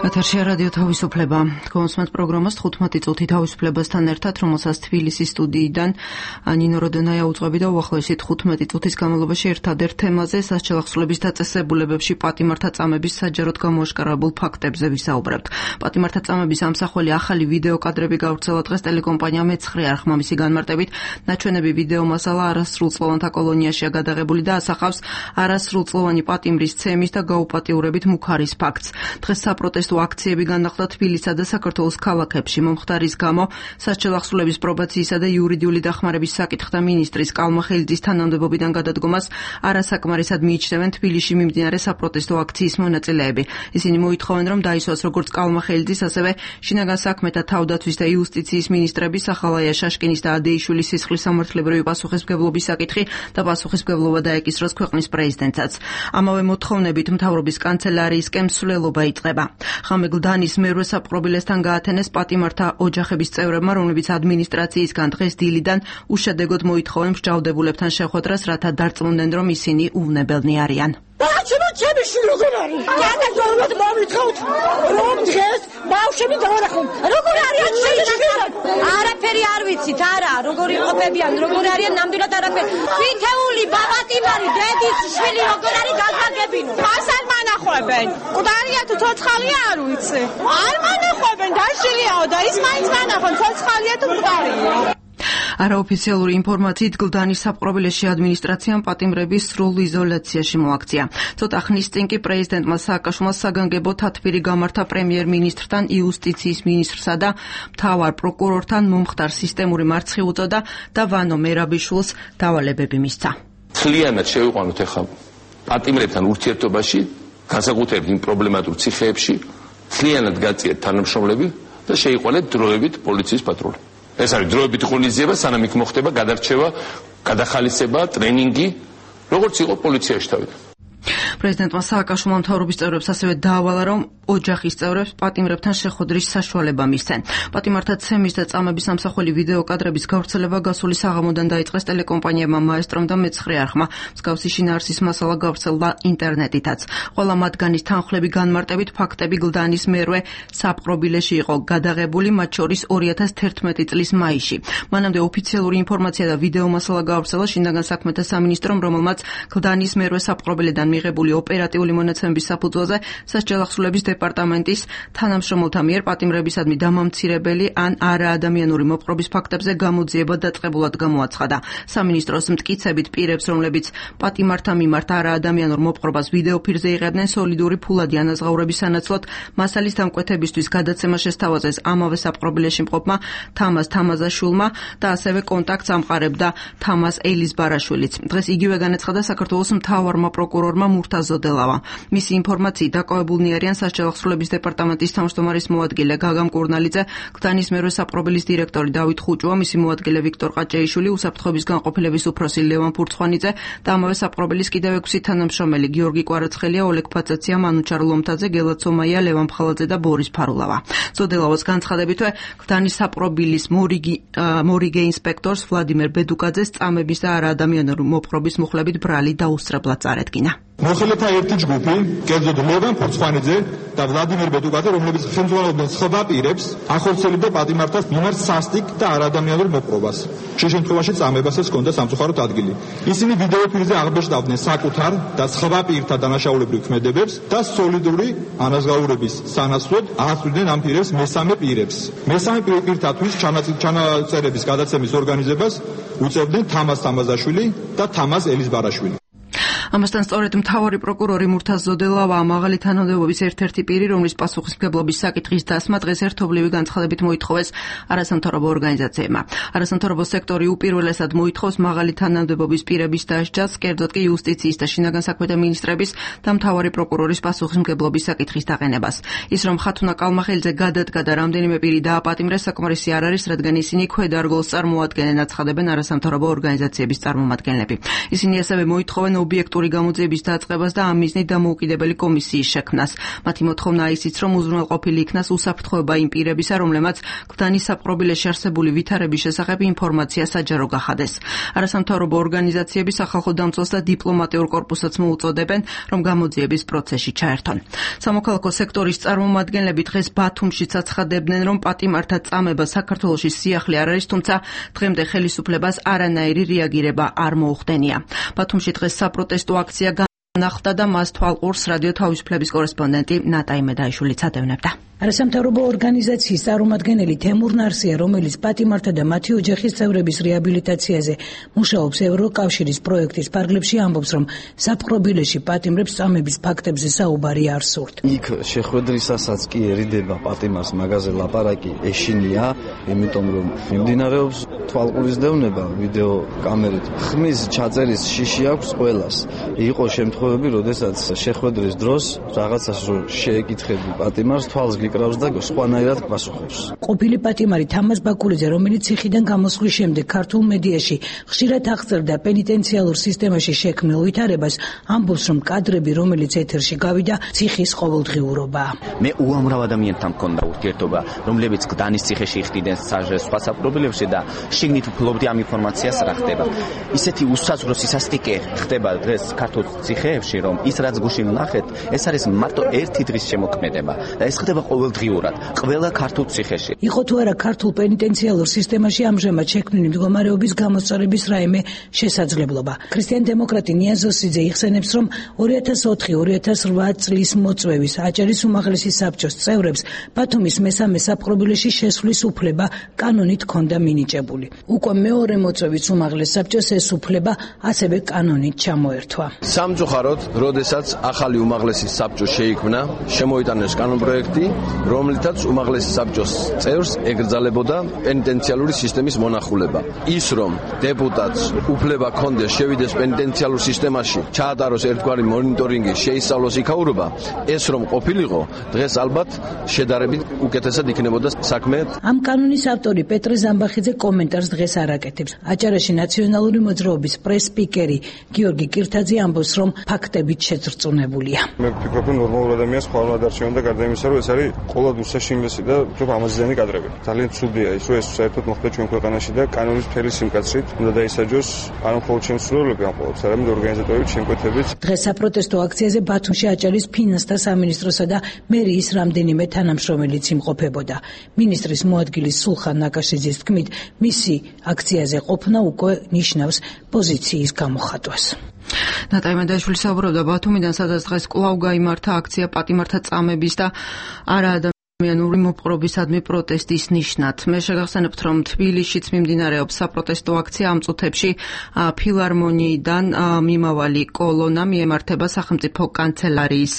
ეთერში რადიო თავისუფლება. კონსმეთ პროგრამას 15 წუთი თავისუფლებასთან ერთად, რომელსაც თბილისის სტუდიიდან ნინო როდონაია უძღვები და უახლოესი 15 წუთის განმავლობაში ერთადერთ თემაზე სასჯელახსოვრების დაწესებულებებში პატიმართა წამების საჯაროდ გამოაშკარავებულ ფაქტებზე ვისაუბრებთ. პატიმართა წამების ამსახველი ახალი ვიდეო კადრები გავრცელა დღეს ტელეკომპანია მეცხრე არხმა. მისი განმარტებით, ნაჩვენები ვიდეო მასალა არასრულწლოვანთა კოლონიაშია გადაღებული და ასახავს არასრულწლოვანი პატიმრის ცემის და გაუპატიურებით მუქარის ფაქტს. დღეს საპროტესტო აქციები განახლდა თბილისსა და საქართველოს ქალაქებში. მომხდარის გამო სასჯელახსოვრების პრობაციისა და იურიდიული დახმარების საკითხთა მინისტრის კალმახელიძის თანამდებობიდან გადადგომას არასაკმარისად მიიჩნევენ თბილისში მიმდინარე საპროტესტო აქციის მონაწილეები. ისინი მოითხოვენ, რომ დაისვას როგორც კალმახელიძის, ასევე შინაგან საქმეთა თავდაცვის და იუსტიციის მინისტრები სახალაია შაშკინის და ადეიშვილის სისხლის სამართლებრივი პასუხისმგებლობის საკითხი და პასუხისმგებლობა დაეკისროს ქვეყნის პრეზიდენტსაც. ამავე მოთხოვნებით მთავრობის კანცელარიისკენ მსვლელობა იწყება. ხამე გლდანის მერვე საპყრობილესთან გაათენეს პატიმართა ოჯახების წევრებმა, რომლებიც ადმინისტრაციისგან დღეს დილიდან უშედეგოდ მოითხოვენ მსჯავრდებულებთან შეხვედრას, რათა დარწმუნდნენ, რომ ისინი უვნებელნი არიან. ჩემი შვილი როგორ არის? გადაგდომოთ მომითხოვთ, რომ დღეს ბავშვები დაარახონ. როგორ არიან ჩემი შვილები? არაფერი არ ვიცით, არა, როგორ იყოფებიან, როგორ არიან ნამდვილად არაფერი. თითეული პატიმარი დედის შვილი როგორ არის გაგაგებინო. მას არ მანახვებენ. მკვდარია თუ ცოცხალია არ ვიცი. არ მანახვებენ, დაშლიაო და ის მაინც მანახონ, ცოცხალია თუ მკვდარია. არაოფიციალური ინფორმაციით გლდანის საპყრობილეში ადმინისტრაციამ პატიმრების სრულ იზოლაციაში მოაქცია. ცოტა ხნის წინ კი პრეზიდენტმა სააკაშვილმა საგანგებო თათბირი გამართა პრემიერ-მინისტრთან, იუსტიციის მინისტრსა და მთავარ პროკურორთან, მომხდარ სისტემური მარცხი უწოდა და ვანო მერაბიშვილს დავალებები მისცა. Მთლიანად შევიყვანოთ ახლა პატიმრებთან ურთიერთობაში, განსაკუთრებით იმ პრობლემატურ ციხეებში, მთლიანად გაწიეთ თანამშრომლები და შეიყვანეთ დროებით პოლიციის პატრული. ეს არის დროებით ღონისძიება, სანამ იქ მოხდება გადარჩევა, გადახალისება, ტრენინგი, როგორც იყო პოლიციაში თავიდან. პრეზიდენტმა სააკაშვილმა მთავრობის წევრებს ასევე დაავალა, რომ ოჯახის წევრებს პატიმრებთან შეხვედრის საშუალება მისცენ. პატიმართა ცემის და წამების ამსახველი ვიდეო კადრების გავრცელება გასული საღამოდან დაიწყეს ტელეკომპანიებმა მაესტრომ და მეცხრე არხმა. მსგავსი შინაარსის მასალა გავრცელდა ინტერნეტითაც. ყველა მათგანის თანხლები განმარტებით ფაქტები გლდანის მერვე საპყრობილეში იყო გადაღებული, მათ შორის 2011 წლის მაისში. მანამდე ოფიციალური ინფორმაცია და ვიდეო მასალა გავრცელა შინაგან საქმეთა სამინისტრომ, რომელმაც გლდანის მერვე საპყრობილედან მიღებული ოპერატიული მონაცემების საფუძველზე სასჯელახსოვრების დეპარტამენტის თანამშრომელთა მიერ პატიმრებისადმი დამამცირებელი ან არაადამიანური მოპყრობის ფაქტებზე გამოძიება დაწყებულად გამოაცხადა. სამინისტროს მტკიცებით პირებს, რომლებიც პატიმართა მიმართ არაადამიანურ მოპყრობას ვიდეოფირზე იღებდნენ, სოლიდური ფულადი ანაზღაურების სანაცვლოდ მასალის დამკვეთებისთვის გადაცემა შესთავაზეს ამავე საპყრობილეში მყოფმა თამაზ თამაზაშვილმა და ასევე კონტაქტს ამყარებდა თამაზ ელიზბარაშვილიც. დღეს იგივე განაცხადა საქართველოს მთავარმა პროკურორმა მურთაზ ზოდელავა. მისი ინფორმაციით დაკავებულნი არიან სასჯელახსოვრების დეპარტამენტის თავმჯდომარის მოადგილე გაგა მკურნალიძე, გლდანის მერვე საპყრობილის დირექტორი დავით ხუჭუა, მისი მოადგილე ვიქტორ ყაჭეიშვილი, უსაფრთხოების განყოფილების უფროსი ლევან ფურცხვანიძე და ამავე საპყრობილის კიდევ 6 თანამშრომელი გიორგი კვარაცხელია, ოლეგ ფაცაცია, მანუჩარ ლომთაძე, გელა ცომაია, ლევან ფხალაძე და ბორის ფარულავა. ზოდელავას განცხადებითვე გლდანის საპყრობილის მორიგე ინსპექტორს ვლადიმერ ბედუკაძეს წამების და არაადამიანური მოპყრობის მუხლებით ბრალი დაუსწრებლად წარედგინა. მოხელეთა ერთი ჯგუფი, კერძოდ ლევან ფურცხვანიძე და ვლადიმერ ბედუკაძე, რომლებიც ხელმძღვანელობდნენ სხვა პირებს, ახორციელებდა პატიმართას მიმართ სასტიკ და არაადამიანურ მოპყრობას. შე შემთხვევაში წამებასაც ჰქონდა სამწუხაროდ ადგილი. ისინი ვიდეოფირზე აღბეჭდავდნენ საკუთარ და სხვა პირთა დანაშაულებრივ ქმედებებს და სოლიდური ანაზღაურების სანაცვლოდ აღწევდნენ ამ პირებს მესამე პირებს. მესამე პირთათვის ჩანაწერების გადაცემის ორგანიზებას უწევდნენ თამაზ თამაზაშვილი და თამაზ ელიზბარაშვილი. ამასთან სწორედ მთავარი პროკურორი მურთაზ ზოდელავა მაღალი თანამდებობის ერთ-ერთი პირი, რომლის პასუხისმგებლობის საკითხის დასმა დღეს ერთობლივი განცხადებით მოითხოვეს არასამთავრობო ორგანიზაციებმა. არასამთავრობო სექტორი უპირველესად მოითხოვს მაღალი თანამდებობის პირების დასჯას, კერძოდ კი იუსტიციის და შინაგან საქმეთა მინისტრების და მთავარი პროკურორის პასუხისმგებლობის საკითხის დაყენებას. ის რომ ხათუნა კალმახელიძე გადადგა და რამდენიმე პირი დააპატიმრეს, საკმარისი არ არის, რადგან ისინი ქვედარგოლს წარმოადგენენ, აცხადებენ არასამთავრობო ორგანიზაციების წარმომადგენლები. ისინი ასევე მოითხოვენ ობიექტური სისტემატიკური გამოძიების დაწყებას და ამ მიზნით დამოუკიდებელი კომისიის შექმნას. მათი მოთხოვნაა ისიც, რომ უზრუნველყოფილი იქნას უსაფრთხოება იმ პირებისა, რომლებმაც გდანის საპყრობილეში არსებული ვითარების შესახებ ინფორმაცია საჯარო გახადეს. არასამთავრობო ორგანიზაციები სახალხო დამცველს და დიპლომატიურ კორპუსსაც მოუწოდებენ, რომ გამოძიების პროცესში ჩაერთონ. სამოქალაქო სექტორის წარმომადგენლები დღეს ბათუმშიც აცხადებდნენ, რომ პატიმართა წამება საქართველოში სიახლე არ არის, თუმცა დღემდე ხელისუფლებას არანაირი რეაგირება არ მოუხდენია. ბათუმში დღეს საპროტესტო აქცია განახლდა და მას თვალყურს რადიო თავისუფლების კორესპონდენტი ნატა იმედაიშვილიც ატევნებდა. არასამთავრობო ორგანიზაციის წარმომადგენელი თემურ ნარსია, რომელიც პატიმართა და მათი ოჯახის წევრების რეაბილიტაციაზე მუშაობს ევროკავშირის პროექტის ფარგლებში, ამბობს, რომ საპყრობილეში პატიმრებს წამების ფაქტებზე საუბარი არ სურთ. იქ შეხვედრისასაც კი ერიდება პატიმარს მაგაზე ლაპარაკი ეშინია, იმიტომ რომ მიმდინარეობს თვალყურის დევნება ვიდეო კამერით. ხმის ჩაწერის შიში აქვს ყველას. იყო შემთხვევები, როდესაც შეხვედრის დროს რაღაცას რო შეეკითხები პატიმარს, თვალს გიკრავს და სხვანაირად პასუხობს. ყოფილი პატიმარი თამაზ ბაკულიძე, რომელიც ციხიდან გამოსვლის შემდეგ ქართულ მედიაში ხშირად აღწერდა პენიტენციალურ სისტემაში შექმნილ ვითარებას, ამბობს, რომ კადრები, რომელიც ეთერში გავიდა, ციხის ყოველდღიურობაა. მე უამრავ ადამიანთან მქონდა ურთიერთობა, რომლებიც გდანის ციხეში იხდიდნენ სხვა საპყრობილებში და შიგნით ვფლობდი ამ ინფორმაციას რა ხდება. ისეთი უსაზღვრო სისასტიკე ხდება დღეს ქართულ ციხეებში, რომ ის რაც გუშინ ვნახეთ, ეს არის მარტო ერთი დღის შემოქმედება და ეს ხდება ყოველდღიურად ყველა ქართულ ციხეში. იყო თუ არა ქართულ პენიტენციალურ სისტემაში ამჟამად შექმნილი მდგომარეობის გამოსწორების რაიმე შესაძლებლობა. ქრისტიან-დემოკრატი ნიაზოსიძე იხსენებს, რომ 2004-2008 წლის მოწვევის აჭარის უმაღლესი საბჭოს წევრებს ბათუმის მესამე საპყრობილეში შესვლის უფლება კანონით ჰქონდა მინიჭებული. უკვე მეორე მოწვევის უმაღლეს საბჭოს ეს უფლება ასევე კანონით ჩამოერთვა. სამწუხაროდ, როდესაც ახალი უმაღლესი საბჭო შეიქმნა, შემოიტანეს კანონპროექტი, რომლითაც უმაღლესი საბჭოს წევრს ეკრძალებოდა პენიტენციალური სისტემის მონახულება. ის რომ დეპუტატს უფლება ჰქონდეს შევიდეს პენიტენციალურ სისტემაში, ჩაატაროს ერთგვარი მონიტორინგი, შეისწავლოს იქაურობა, ეს რომ ყოფილიყო, დღეს ალბათ შედარებით უკეთესად იქნებოდა საქმე. ამ კანონის ავტორი პეტრე ზამბახიძე კომენტარს დღეს არ აკეთებს. აჭარაში ნაციონალური მოძრაობის პრეს-სპიკერი გიორგი კირთაძე ამბობს, რომ ფაქტებით შეწრწუნებულია. მე ვფიქრობ, რომ ნორმალურ ადამიანს ხვალ არ დარჩენოდა გარდა იმისა, რომ ეს არის ყოლად უსაშინლესი და უფრო ამაზიანი კადრები. ძალიან ცუდია ის, რომ ეს საერთოდ მოხდა ჩვენ ქვეყანაში და კანონის მთელი სიმკაცრით უნდა დაისაჯოს არა მხოლოდ ჩემს სრულები ამ ყოველს, არამედ ორგანიზატორების შემკვეთებით. დღეს საპროტესტო აქციაზე ბათუმში აჭარის ფინანსთა სამინისტროსა და მერიის რამდენიმე თანამშრომელიც იმყოფებოდა. მინისტრის მოადგილის სულხან ნაკაშიძის თქმით, მისი აქციაზე ყოფნა უკვე ნიშნავს პოზიციის გამოხატვას. ნატა იმედაიშვილი საუბრობდა ბათუმიდან, სადაც დღეს კვლავ გაიმართა აქცია პატიმართა წამების და არაადამიანური მოპყრობისადმი პროტესტის ნიშნად. მე შეგახსენებთ, რომ თბილისშიც მიმდინარეობს საპროტესტო აქცია. ამ წუთებში ფილარმონიიდან მიმავალი კოლონა მიემართება სახელმწიფო კანცელარიის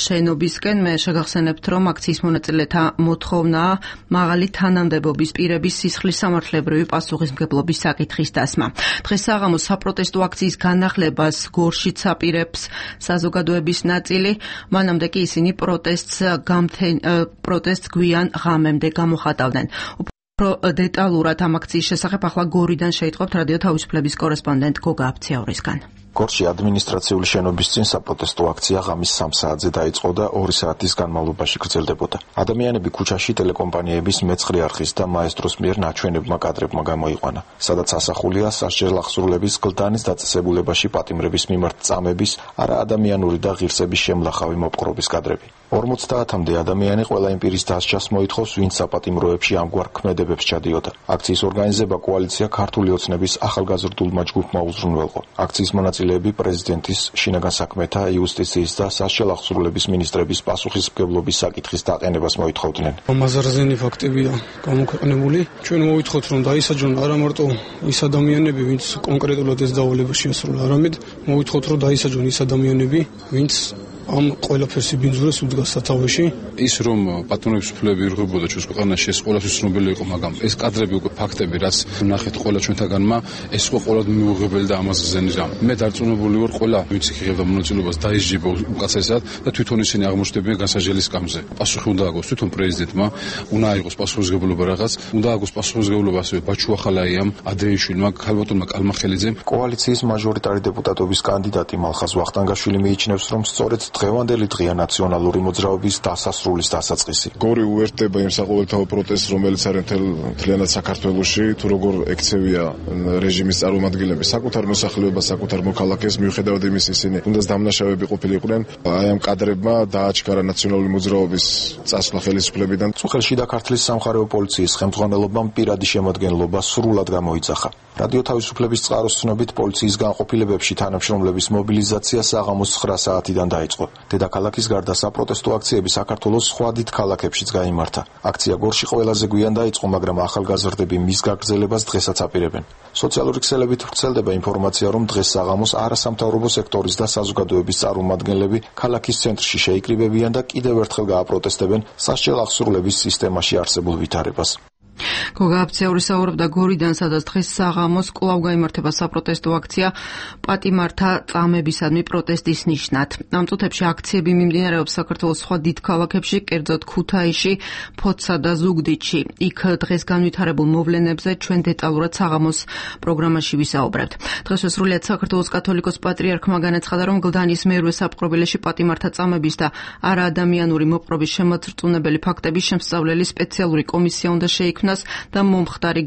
შენობისკენ. მე შეგახსენებთ, რომ აქციის მონაწილეთა მოთხოვნაა მაღალი თანამდებობის პირების სისხლის სამართლებრივი პასუხისმგებლობის საკითხის დასმა. დღეს საღამოს საპროტესტო აქციის განახლებას გორშიც აპირებს საზოგადოების ნაწილი, მანამდე კი ისინი პროტესტს გვიან ღამემდე გამოხატავდნენ. უფრო დეტალურად ამ აქციის შესახებ ახლა გორიდან შეიტყობთ რადიო თავისუფლების კორესპონდენტ გოგა აფციაურისგან. გორში ადმინისტრაციული შენობის წინ საპროტესტო აქცია ღამის 3 საათზე დაიწყო და 2 საათის განმავლობაში გრძელდებოდა. ადამიანები ქუჩაში ტელეკომპანიების მეცხრე არხის და მაესტროს მიერ ნაჩვენებმა კადრებმა გამოიყვანა, სადაც ასახულია სასჯელ აღსრულების გლდანის დაწესებულებაში პატიმრების მიმართ წამების არაადამიანური და ღირსების შემლახავი მოპყრობის კადრები. 50-მდე ადამიანი ყველა იმ პირის დასჯას მოითხოვს, ვინც საპატიმროებში ამგვარ ქმედებებს ჩადიოდა. აქციის ორგანიზება კოალიცია ქართული ოცნების ახალგაზრდულმა ჯგუფმა უზრუნველყო. აქციის მონაწილეები პრეზიდენტის, შინაგან საქმეთა, იუსტიციის და სასჯელ აღსრულების მინისტრების პასუხისმგებლობის საკითხის დაყენებას მოითხოვდნენ. ამაზარზენი ფაქტებია გამოქვეყნებული. ჩვენ მოვითხოვთ, რომ დაისაჯონ არა მარტო ის ადამიანები, ვინც კონკრეტულად ეს დავალება შეასრულა, არამედ მოვითხოვთ, რომ დაისაჯონ ის ადამიანები, ვინც ამ ყველაფერს იბინძურეს უდგას სათავეში. ის რომ პატრონების უფლებები ირღვებოდა ჩვენს ქვეყანაში, ეს ყველასთვის ცნობილი იყო, მაგრამ ეს კადრები უკვე ფაქტები, რაც ნახეთ ყველა ჩვენთაგანმა, ეს უკვე ყველად მიუღებელი და ამას ზენის რამ. მე დარწმუნებული ვარ, ყველა ვინც იღებდა მონაწილეობას დაისჯება უკაცესად და თვითონ ისინი აღმოჩნდებიან განსაჯელის სკამზე. პასუხი უნდა აგოს თვითონ პრეზიდენტმა, უნდა აიღოს პასუხისმგებლობა რაღაც, უნდა აგოს პასუხისმგებლობა ასევე ბაჩუ ახალაიამ, ადრეიშვილმა, ქალბატონმა კალმახელიძემ. კოალიციის მაჟორიტარი დეპუტატობის კანდიდატი მალხაზ ვახტანგაშვილი მიიჩნევს, რომ სწორედ დღევანდელი დღეა ნაციონალური მოძრაობის დასასრულის დასაწყისი. გორი უერთდება იმ საყოველთაო პროტესტს, რომელიც არის მთლიანად საქართველოში, თუ როგორ ექცევია რეჟიმის წარმომადგენლები საკუთარ მოსახლეობას, საკუთარ მოქალაქეს, მიუხედავად იმის ისინი თუნდაც დამნაშავეები ყოფილიყვნენ, აი ამ კადრებმა დააჩქარა ნაციონალური მოძრაობის წასვლა ხელისუფლებიდან. წუხელში და ქართლის სამხარეო პოლიციის ხელმძღვანელობამ პირადი შემოადგენლობა სრულად გამოიძახა. რადიო თავისუფლების წყაროს ცნობით, პოლიციის განყოფილებებში თანამშრომლების მობილიზაცია საღამოს 9 საათიდან დაიწყო. დედაქალაქის გარდა საპროტესტო აქციები საქართველოს სხვა დიდ ქალაქებშიც გაიმართა. აქცია გორში ყველაზე გვიან დაიწყო, მაგრამ ახალგაზრდები მის გაგრძელებას დღესაც აპირებენ. სოციალური ქსელებით ვრცელდება ინფორმაცია, რომ დღეს საღამოს არასამთავრობო სექტორის და საზოგადოების წარმომადგენლები ქალაქის ცენტრში შეიკრიბებიან და კიდევ ერთხელ გააპროტესტებენ სასჯელ აღსრულების სისტემაში არსებულ ვითარებას. გოგა აფციური საუბრობდა გორიდან, სადაც დღეს საღამოს კვლავ გაიმართება საპროტესტო აქცია პატიმართა წამებისადმი პროტესტის ნიშნად. ამ წუთებში აქციები მიმდინარეობს საქართველოს სხვა დიდ ქალაქებში, კერძოდ ქუთაისში, ფოთსა და ზუგდიდში. იქ დღეს განვითარებულ მოვლენებზე ჩვენ დეტალურად საღამოს პროგრამაში ვისაუბრებთ. დღეს სრულიად საქართველოს კათოლიკოს პატრიარქმა განაცხადა, რომ გლდანის მერვე საპყრობილეში პატიმართა წამების და არაადამიანური მოპყრობის შემოწრწუნებელი ფაქტების შემსწავლელი სპეციალური კომისია უნდა შეიქმნას და მომხდარი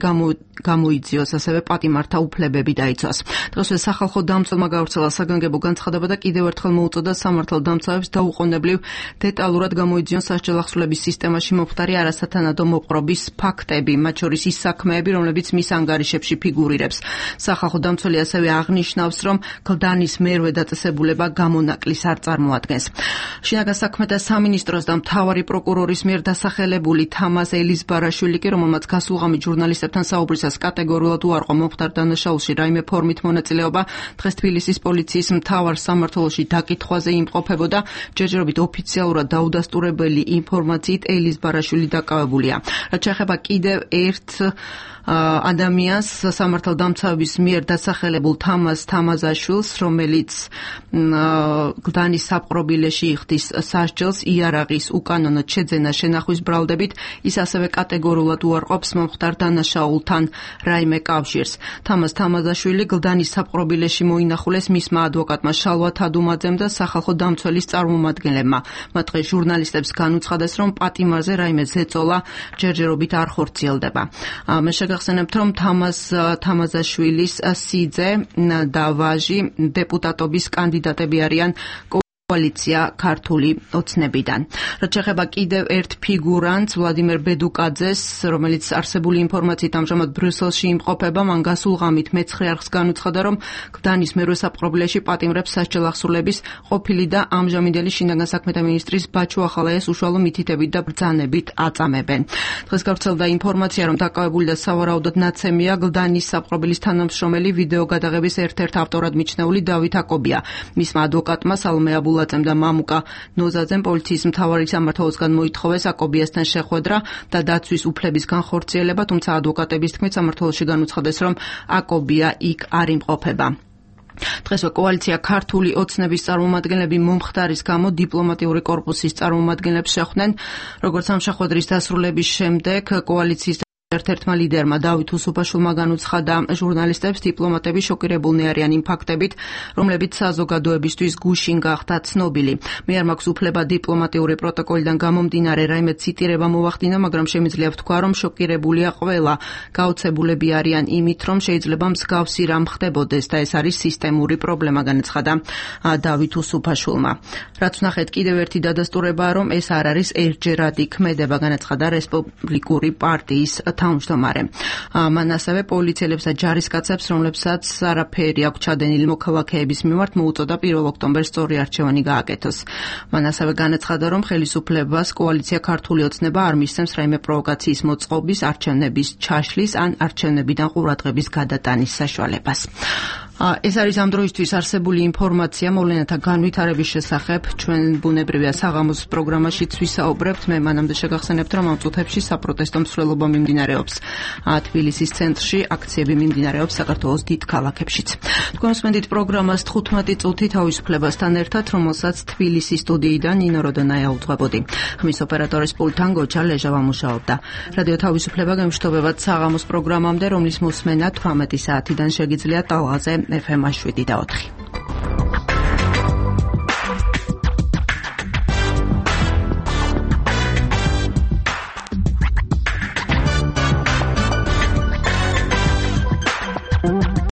გამოიძიოს, ასევე პატიმართა უფლებები დაიცვას. დღესვე სახალხო დამცველმა გავრცელა საგანგებო განცხადება და კიდევ ერთხელ მოუწოდა სამართალდამცავებს დაუყოვნებლივ დეტალურად გამოიძიონ სასჯელ აღსრულების სისტემაში მომხდარი არასათანადო მოპყრობის ფაქტები, მათ შორის ის საქმეები, რომლებიც მის ანგარიშებში ფიგურირებს. სახალხო დამცველი ასევე აღნიშნავს, რომ გლდანის მერვე დაწესებულება გამონაკლისს არ წარმოადგენს. შინაგან საქმეთა სამინისტროს და მთავარი პროკურორის მიერ დასახელებული თამაზ ელიზბარაშვილი კი, რომელმაც გასულღამით ჟურნალისტებთან საუბრისას კატეგორიულად უარყო მომხდარ დანაშაულში რაიმე ფორმით მონაწილეობა, დღეს თბილისის პოლიციის მთავარ სამმართველოში დაკითხვაზე იმყოფებოდა. ჯერჯერობით ოფიციალურად დაუდასტურებელი ინფორმაციით ელიზბარაშვილი დაკავებულია. რაც შეეხება კიდევ ერთ ადამიანს, სამართალდამცავების მიერ დასახელებულ თამაზ თამაზაშვილს, რომელიც გლდანის საპყრობილეში იხდის სასჯელს იარაღის უკანონოდ შეძენა შენახვის ბრალდებით, ის ასევე კატეგორიულად უარყოფს მომხდარ დანაშაულთან რაიმე კავშირს. თამაზ თამაზაშვილი გლდანის საპყრობილეში მოინახულეს მისმა ადვოკატმა შალვა თადუმაძემ და სახალხო დამცველის წარმომადგენლებმა. მათ დღეს ჟურნალისტებს განუცხადეს, რომ პატიმარზე რაიმე ზეწოლა ჯერჯერობით არ ხორციელდება. მე შეგახსენებთ, რომ თამაზაშვილის სიძე და ვაჟი დეპუტატობის კანდიდატები არიან კოალიცია ქართული ოცნებიდან. რაც შეეხება კიდევ ერთ ფიგურანტს, ვლადიმერ ბედუკაძეს, რომელიც არსებული ინფორმაციით ამჟამად ბრიუსელში იმყოფება, მან გასულღამით მეცხრე არხს განუცხადა, რომ გლდანის მერვე საპყრობილეში პატიმრებს სასჯელ აღსრულების ყოფილი და ამჟამინდელი შინაგან საქმეთა მინისტრის ბაჩუ ახალაიას უშუალო მითითებით და ბრძანებით აწამებენ. დღეს გავრცელდა ინფორმაცია, რომ დაკავებული და სავარაუდოდ ნაცემია გლდანის საპყრობილის თანამშრომელი ვიდეო გადაღების ერთ-ერთ ავტორად მიჩნეული დავით აკობია. მისმა ადვოკატმა სალომე აბულაძემ და მამუკა ნოზაძემ პოლიციის მთავარი სამმართველოსგან მოითხოვეს აკობიასთან შეხვედრა და დაცვის უფლების განხორციელება, თუმცა ადვოკატების თქმით სამმართველოში განუცხადეს, რომ აკობია იქ არ იმყოფება. დღესვე კოალიცია ქართული ოცნების წარმომადგენლები მომხდარის გამო დიპლომატიური კორპუსის წარმომადგენლებს შეხვდნენ. როგორც ამ შეხვედრის დასრულების შემდეგ კოალიციის ერთ-ერთმა ლიდერმა დავით უსუფაშვილმა განუცხადა ჟურნალისტებს, დიპლომატები შოკირებულნი არიან იმ ფაქტებით, რომლებიც საზოგადოებისთვის გუშინ გახდა ცნობილი. მე არ მაქვს უფლება დიპლომატიური პროტოკოლიდან გამომდინარე რაიმე ციტირება მოვახდინა, მაგრამ შემიძლია ვთქვა, რომ შოკირებულია ყველა. გაოცებულები არიან იმით, რომ შეიძლება მსგავსი რამ ხდებოდეს და ეს არის სისტემური პრობლემა, განაცხადა დავით უსუფაშვილმა. რაც ვნახეთ, კიდევ ერთი დადასტურებაა, რომ ეს არ არის ერთჯერადი ქმედება, განაცხადა რესპუბლიკური პარტიის თავმჯდომარე. მან ასევე პოლიციელებს და ჯარისკაცებს, რომლებსაც არაფერი აქვს ჩადენილი მოქალაქეების მიმართ, მოუწოდა 1 ოქტომბერს სწორი არჩევანი გააკეთოს. მან ასევე განაცხადა, რომ ხელისუფლებას კოალიცია ქართული ოცნება არ მისცემს რაიმე პროვოკაციის მოწყობის, არჩევნების ჩაშლის ან არჩევნებიდან ყურადღების გადატანის საშუალებას. ეს არის ამ დროისთვის არსებული ინფორმაცია მოვლენათა განვითარების შესახებ. ჩვენ ბუნებრივია საღამოს პროგრამაშიც ვისაუბრებთ. მე მანამდე შეგახსენებთ, რომ ამ წუთებში საპროტესტო მსვლელობა მიმდინარეობს თბილისის ცენტრში, აქციები მიმდინარეობს საქართველოს დიდ ქალაქებშიც. თქვენ უსმენთ პროგრამას 15 წუთი თავისუფლებასთან ერთად, რომელსაც თბილისის სტუდიიდან ნინო როდონაია უძღვებოდი. ხმის ოპერატორის პულტთან გოჩა ლეჟავა მუშაობდა. რადიო თავისუფლება გემშვიდობებად საღამოს პროგრამამდე, რომლის მოსმენა 18 საათიდან შეგიძლიათ ტალღაზე FM 7 და 4.